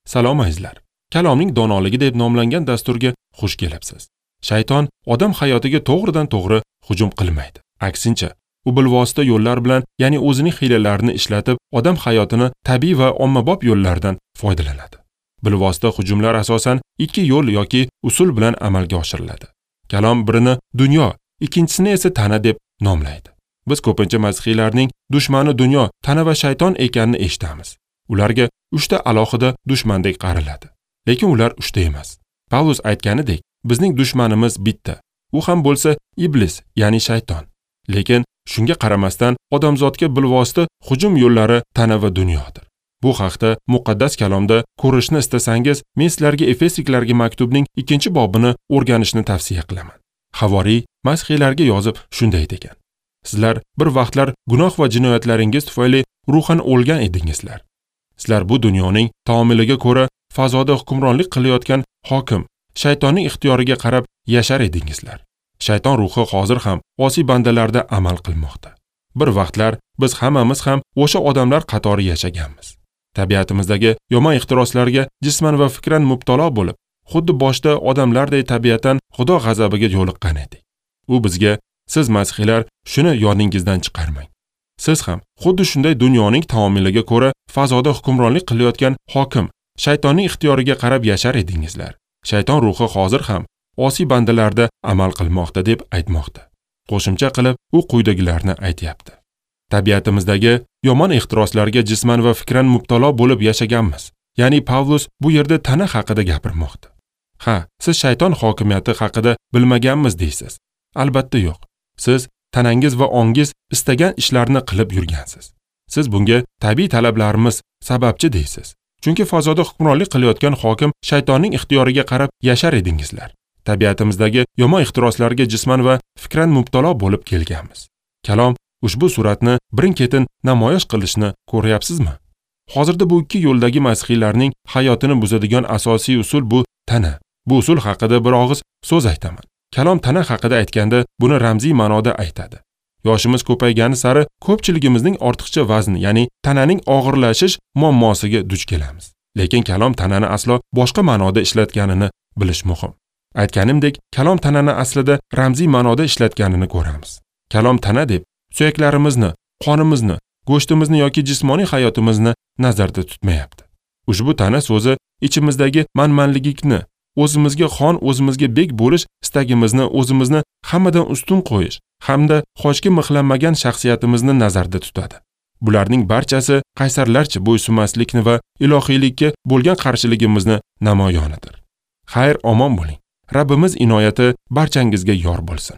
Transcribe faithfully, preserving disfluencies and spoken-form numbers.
Salom azizlar. Kalomning donoligi deb nomlangan dasturga xush kelibsiz. Shayton odam hayotiga to'g'ridan to'g'ri hujum qilmaydi. Aksincha, u bilvosita yo'llar bilan, ya'ni o'zining hiylalarini ishlatib, odam hayotini tabiiy va ommabop yo'llardan foydalanadi. Bilvosita hujumlar asosan ikki yo'l yoki usul bilan amalga oshiriladi. Kalom birini dunyo, ikkinchisini esa tana deb nomlaydi. Biz ko'pincha masihiylarning dushmani dunyo, tana va shayton ekanini eshitamiz. Ularga uchta alohida dushmandek qaraladi. Lekin ular uchta emas. Pavlus aytganidek, bizning dushmanimiz bitta. U ham bo'lsa iblis, ya'ni shayton. Lekin shunga qaramasdan odamzodga bilvosita hujum yo'llari tana va dunyodir. Bu haqda muqaddas kalomda ko'rishni istasangiz, men sizlarga Efesliklarga maktubning ikkinchi bobini o'rganishni tavsiya qilaman. Havoriy masihiylarga yozib shunday degan: Sizlar bir vaqtlar gunoh va jinoyatlaringiz tufayli ruhan o'lgan edingizlar. Sizlar bu dunyoning taomiliga ko'ra fazoda hukmronlik qilayotgan hokim, shaytonning ixtiyoriga qarab yashar edingizlar. Shayton ruhi hozir ham osiy bandalarda amal qilmoqda. Bir vaqtlar biz hammamiz ham o'sha odamlar qatori yashaganmiz. Tabiatimizdagi yomon ehtiroslarga jisman va fikran mubtalo bo'lib, xuddi boshda odamlarday tabiatan Xudo g'azabiga yo'liqqan edik. U bizga: siz masihiylar shuni yodingizdan chiqarmang. Siz ham xuddi shunday dunyoning taomiliga ko'ra fazoda hukmronlik qilayotgan hokim, shaytonning ixtiyoriga qarab yashar edingizlar. Shayton ruhi hozir ham osiy bandalarda amal qilmoqda deb aytmoqda. Qo'shimcha qilib, u quyidagilarni aytayapti. Tabiatimizdagi yomon ehtiroslarga jisman va fikran mubtalo bo'lib yashaganmiz. Ya'ni Pavlus bu yerda tana haqida gapirmoqda. Ha, siz shayton hokimiyati haqida bilmaganmiz deysiz. Albatta yo'q. Siz tanangiz va ongiz istagan ishlarni qilib yurgansiz. Siz bunga tabiiy talablarimiz sababchi deysiz. Chunki fazoda hukmronlik qilayotgan hokim shaytonning ixtiyoriga qarab yashar edingizlar. Tabiatimizdagi yomon ehtiroslarga jisman va fikran mubtalo bo'lib kelganmiz. Kalom ushbu suratni birin-ketin namoyish qilishni ko'ryapsizmi? Hozirda bu ikki yo'ldagi masihiylarning hayotini buzadigan asosiy usul bu tana. Bu usul haqida bir og'iz so'z aytaman. Kalom tana haqida aytganda buni ramziy ma'noda aytadi. Yoshimiz ko'paygani sari ko'pchiligimizning ortiqcha vazn, ya'ni tananing og'irlashish muammosiga duch kelamiz. Lekin kalom tanani aslo boshqa ma'noda ishlatganini bilish muhim. Aytganimdek, kalom tanani aslida ramziy ma'noda ishlatganini ko'ramiz. Kalom tana deb suyaklarimizni, qonimizni, go'shtimizni yoki jismoniy hayotimizni nazarda tutmayapti. Ushbu tana so'zi ichimizdagi manmanlikni, o'zimizga xon, o'zimizga bek bo'lish istagimizni, o'zimizni hammadan ustun qo'yish hamda xochga mixlanmagan shaxsiyatimizni nazarda tutadi. Bularning barchasi qaysarlarcha bo'ysunmaslikni va ilohiylikka bo'lgan qarshiligimizni namoyonidir. Xayr, omon bo'ling. Rabbimiz inoyati barchangizga yor bo'lsin.